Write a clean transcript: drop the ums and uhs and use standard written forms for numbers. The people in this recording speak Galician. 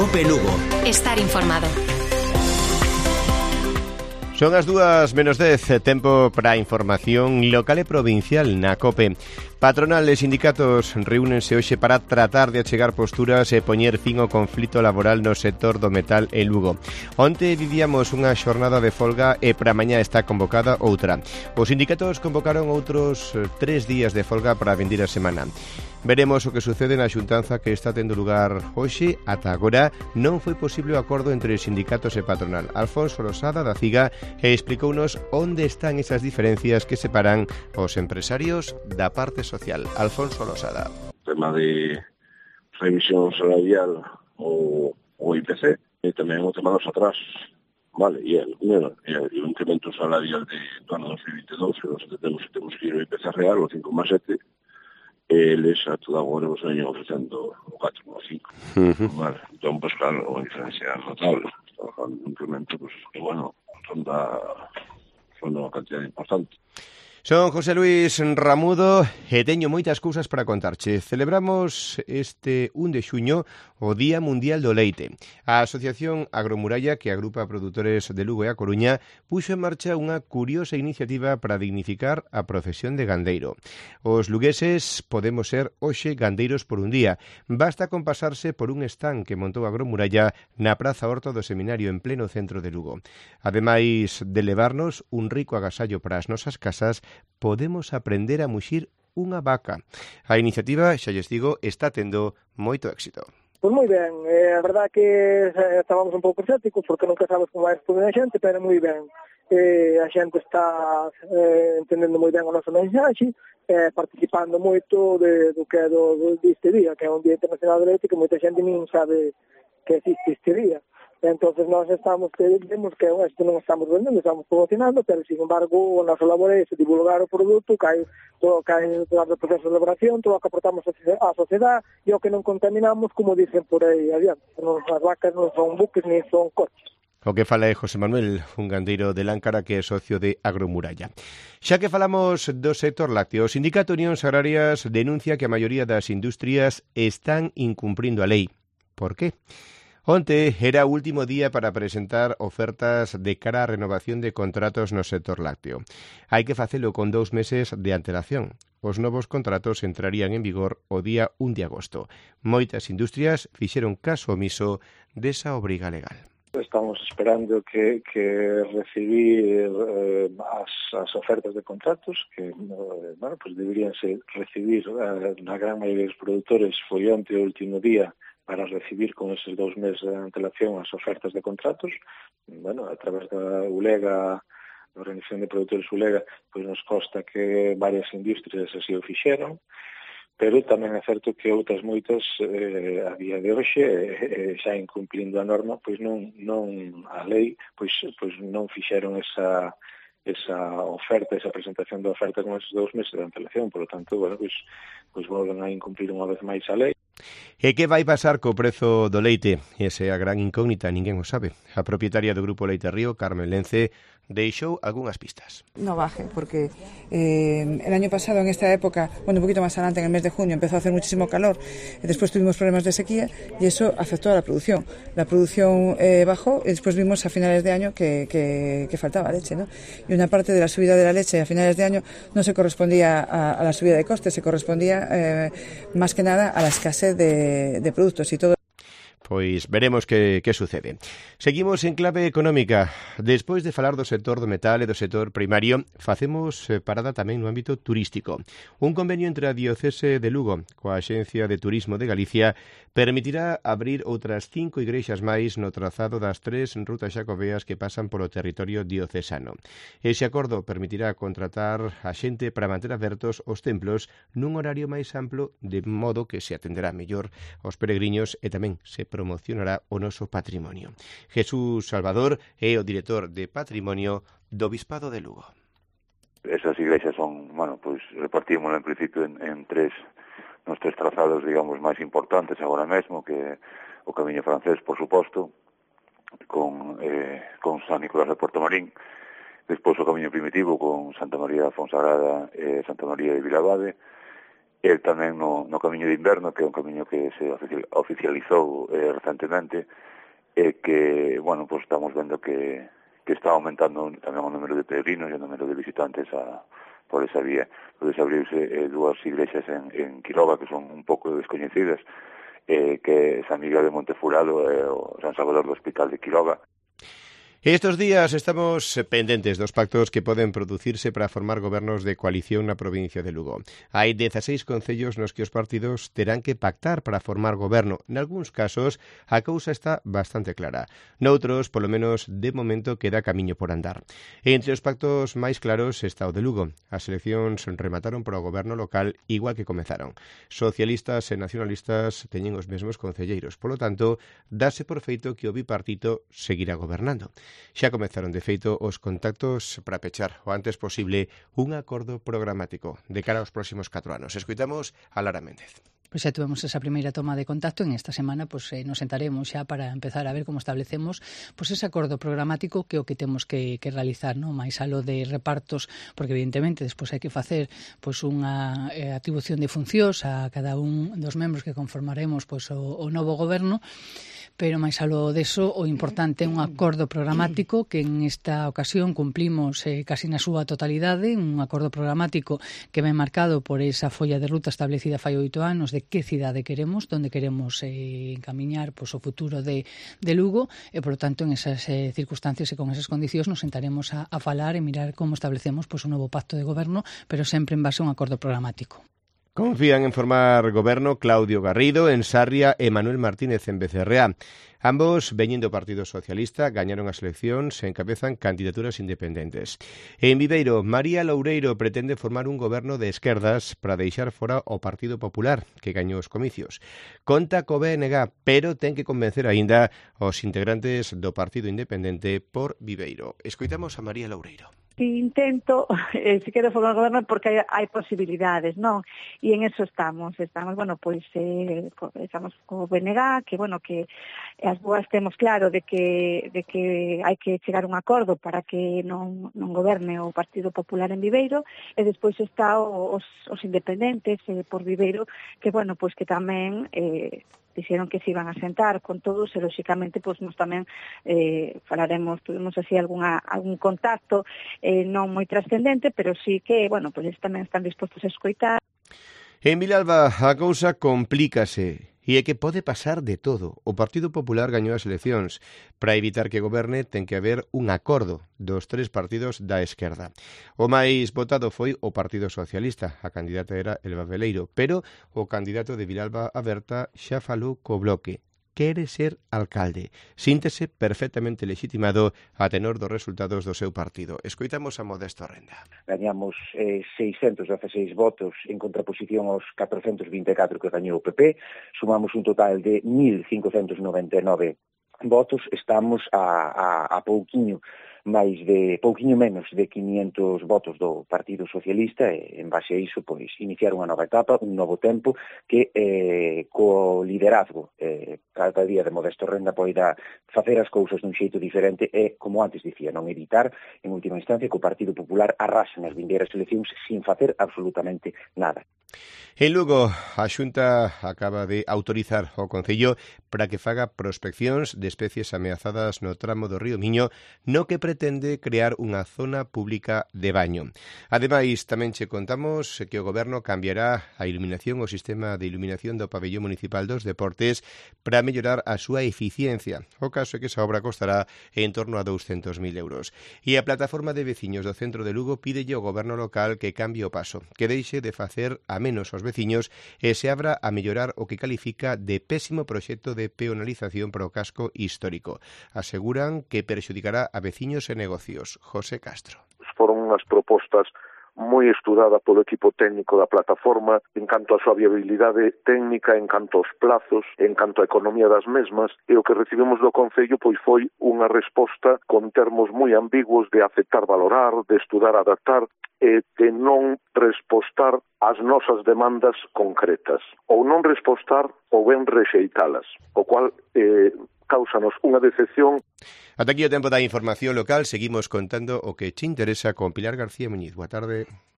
COPE Lugo. Estar informado. Son as 2:10, tempo para a información local e provincial na COPE. Patronal e sindicatos reúnense hoxe para tratar de achegar posturas e poñer fin ao conflito laboral no sector do metal en Lugo. Onte vivíamos unha xornada de folga e para mañá está convocada outra. Os sindicatos convocaron outros 3 días de folga para a vindeira semana. Veremos o que sucede na xuntanza que está tendo lugar hoxe. Ata agora non foi posible o acordo entre sindicatos e patronal. Alfonso Losada da CIGA explicounos onde están esas diferencias que separan os empresarios da parte social. Alfonso Losada. Tema de revisión salarial o IPC e tamén o tema dos atrasos. Vale, e el incremento salarial do ano 2022, que nós temos que ir ao IPC real, o 5,7, eles a toda agora nos veñen ofrecendo o 4,5. Vale, entón, pues claro, unha diferencia notable. Estamos falando de un incremento, pues, que, bueno, son unha cantidad importante. Son José Luis Ramudo e teño moitas cousas para contarche. Celebramos este 1 de xuño o Día Mundial do Leite. A Asociación Agromuralla, que agrupa a produtores de Lugo e a Coruña, puxo en marcha unha curiosa iniciativa para dignificar a profesión de gandeiro. Os lugueses podemos ser hoxe gandeiros por un día. Basta con pasarse por un stand que montou Agromuralla na Praza Horta do Seminario en pleno centro de Lugo. Ademais de levarnos un rico agasallo para as nosas casas, podemos aprender a muxir unha vaca. A iniciativa, xa lles digo, está tendo moito éxito. Pois moi ben, a verdade que estábamos un pouco escépticos porque nunca sabes como vai responder a xente, pero moi ben. A xente está entendendo moi ben o noso mensaxe, participando moito do que é deste día, que é un Día Internacional do Leite, que moita xente nin sabe que existe este día. Entonces nós vemos que isto non estamos vendendo, estamos promocionando, pero sin embargo o noso labor é divulgar o produto, todo cae durante o proceso de elaboración, todo o que aportamos á sociedade e o que non contaminamos, como dicen por aí adiante. As vacas non son buques ni son coches. O que fala é José Manuel, un gandeiro de Láncara que é socio de Agromuralla. Xa que falamos do sector lácteo, o Sindicato Unións Agrarias denuncia que a maioría das industrias están incumprindo a lei. Por qué? Onte era o último día para presentar ofertas de cara á renovación de contratos no sector lácteo. Hai que facelo con 2 meses de antelación. Os novos contratos entrarían en vigor o día 1 de agosto. Moitas industrias fixeron caso omiso desa obriga legal. Estamos esperando que recibir as ofertas de contratos que pues deberían recibir na gran maioría dos produtores. Foi onte o último día para recibir con eses 2 meses de antelación as ofertas de contratos. A través da ULEGA, da Organización de Produtores ULEGA, pois nos consta que varias industrias así o fixeron, pero tamén é certo que outras moitas a día de hoxe, xa incumplindo a norma, pois non a lei, pois non fixeron esa oferta, esa presentación da oferta con esos 2 meses de antelación. Por lo tanto, pois volven a incumplir unha vez máis a lei. E que vai pasar co prezo do leite? Esa é a gran incógnita, ninguén o sabe. A propietaria do Grupo Leite Río, Carmen Lence, deixou algunhas pistas. No baje, porque el año pasado en esta época, un poquito más adelante, en el mes de junio, empezó a hacer muchísimo calor, después tuvimos problemas de sequía y eso afectó a la producción. La producción bajó y después vimos a finales de año que faltaba leche, ¿no? Y una parte de la subida de la leche a finales de año no se correspondía a la subida de costes, se correspondía más que nada a la escasez de productos y todo. Pois veremos que sucede. Seguimos en clave económica. Despois de falar do sector do metal e do sector primario, facemos parada tamén no ámbito turístico. Un convenio entre a Diocese de Lugo coa Axencia de Turismo de Galicia permitirá abrir outras 5 igrexas máis no trazado das 3 rutas xacobeas que pasan polo territorio diocesano. Ese acordo permitirá contratar a xente para manter abertos os templos nun horario máis amplo, de modo que se atenderá mellor aos peregrinos e tamén se promocionará o noso patrimonio. Jesús Salvador é o director de Patrimonio do Bispado de Lugo. Esas iglesias son, pues repartimos en principio en tres trazados, digamos, máis importantes agora mesmo, que o Camiño Francés, por suposto, con San Nicolás de Porto Marín, despois o Camiño Primitivo con Santa María da Fonsagrada e Santa María de Vilabade, e tamén no camiño de inverno, que é un camiño que se oficializou recentemente, e que, bueno, pues estamos vendo que está aumentando tamén o número de peregrinos e o número de visitantes por esa vía. Podes abrirse dúas iglesias en Quiroga que son un pouco descoñecidas, que é San Miguel de Montefurado e o San Salvador do Hospital de Quiroga. Estos días estamos pendentes dos pactos que poden producirse para formar gobernos de coalición na provincia de Lugo. Hai 16 concellos nos que os partidos terán que pactar para formar goberno. Nalgúns casos, a cousa está bastante clara. Noutros, polo menos de momento, queda camiño por andar. Entre os pactos máis claros está o de Lugo. As eleccións remataron para o goberno local igual que comezaron. Socialistas e nacionalistas teñen os mesmos concelleiros. Polo tanto, dáse por feito que o bipartito seguirá gobernando. Xa comezaron, de feito, os contactos para pechar o antes posible un acordo programático de cara aos próximos 4 anos. Escoitamos a Lara Méndez. Pois xa tuvemos esa primeira toma de contacto. En esta semana nos sentaremos xa para empezar a ver como establecemos ese acordo programático, que é o que temos que realizar, non? Mais aló de repartos, porque evidentemente despois hai que facer unha atribución de funcións a cada un dos membros que conformaremos o novo goberno, pero máis aló deso, o importante é un acordo programático que en esta ocasión cumplimos casi na súa totalidade, un acordo programático que ven marcado por esa folla de ruta establecida fai 8 anos de que cidade queremos, donde queremos encamiñar o futuro de Lugo, e, por lo tanto, en esas circunstancias e con esas condicións nos sentaremos a falar e mirar como establecemos un novo pacto de goberno, pero sempre en base a un acordo programático. Confían en formar goberno Claudio Garrido en Sarria e Manuel Martínez en Becerreá. Ambos, veñen do Partido Socialista, gañaron as eleccións e encabezan candidaturas independentes. En Viveiro, María Loureiro pretende formar un goberno de esquerdas para deixar fora o Partido Popular, que gañou os comicios. Conta co BNG, pero ten que convencer aínda os integrantes do Partido Independente por Viveiro. Escoitamos a María Loureiro. Intento, se quero formar goberno porque hai posibilidades, non? E en eso estamos, bueno, pois estamos co BNG, que as dúas temos claro de que hai que chegar a un acordo para que non goberne o Partido Popular en Viveiro, e despois está os independentes por Viveiro, que que tamén dixeron que se iban a sentar con todos, e lóxicamente nos tamén falaremos, tuvimos así algún contacto non moi trascendente, pero sí que, tamén están dispostos a escoitar. En Vilalba a cousa complícase e é que pode pasar de todo. O Partido Popular gañou as eleccións. Para evitar que goberne ten que haber un acordo dos 3 partidos da esquerda. O máis votado foi o Partido Socialista. A candidata era Elba Veleiro, pero o candidato de Vilalba Aberta xa falou co Bloque. Quere ser alcalde. Síntese perfectamente legitimado a tenor dos resultados do seu partido. Escoitamos a Modesto Renda. Gañamos 616 votos en contraposición aos 424 que gañou o PP. Sumamos un total de 1.599 votos. Estamos a pouquiño menos de 500 votos do Partido Socialista, e en base a iso iniciar unha nova etapa, un novo tempo que co liderazgo cada día de Modesto Renda poida facer as cousas dun xeito diferente e, como antes dicía, non evitar en última instancia que o Partido Popular arrase nas vindeiras eleccións sin facer absolutamente nada. En Lugo, a Xunta acaba de autorizar o Concello para que faga prospeccións de especies ameazadas no tramo do río Miño, no que pretende crear unha zona pública de baño. Ademais, tamén che contamos que o Goberno cambiará a iluminación, o sistema de iluminación do pabellón municipal dos deportes para mellorar a súa eficiencia. O caso é que esa obra costará en torno a 200.000 euros. E a plataforma de veciños do centro de Lugo pídelle ao Goberno local que cambie o paso, que deixe de facer a menos aos veciños e se abra a mellorar o que califica de pésimo proxecto de peonalización para o casco histórico. Aseguran que perxudicará a veciños e negocios. José Castro. Foron unhas propostas moi estudada polo equipo técnico da plataforma en canto a súa viabilidade técnica, en canto aos plazos, en canto a economía das mesmas, e o que recibimos do Concello foi unha resposta con termos moi ambiguos de aceptar, valorar, de estudar, adaptar, e de non respostar ás nosas demandas concretas, ou non respostar ou ben rexeitalas, o cual cáusanos unha decepción. Ata aquí o tempo da información local. Seguimos contando o que che interesa con Pilar García Muñiz. Boa tarde.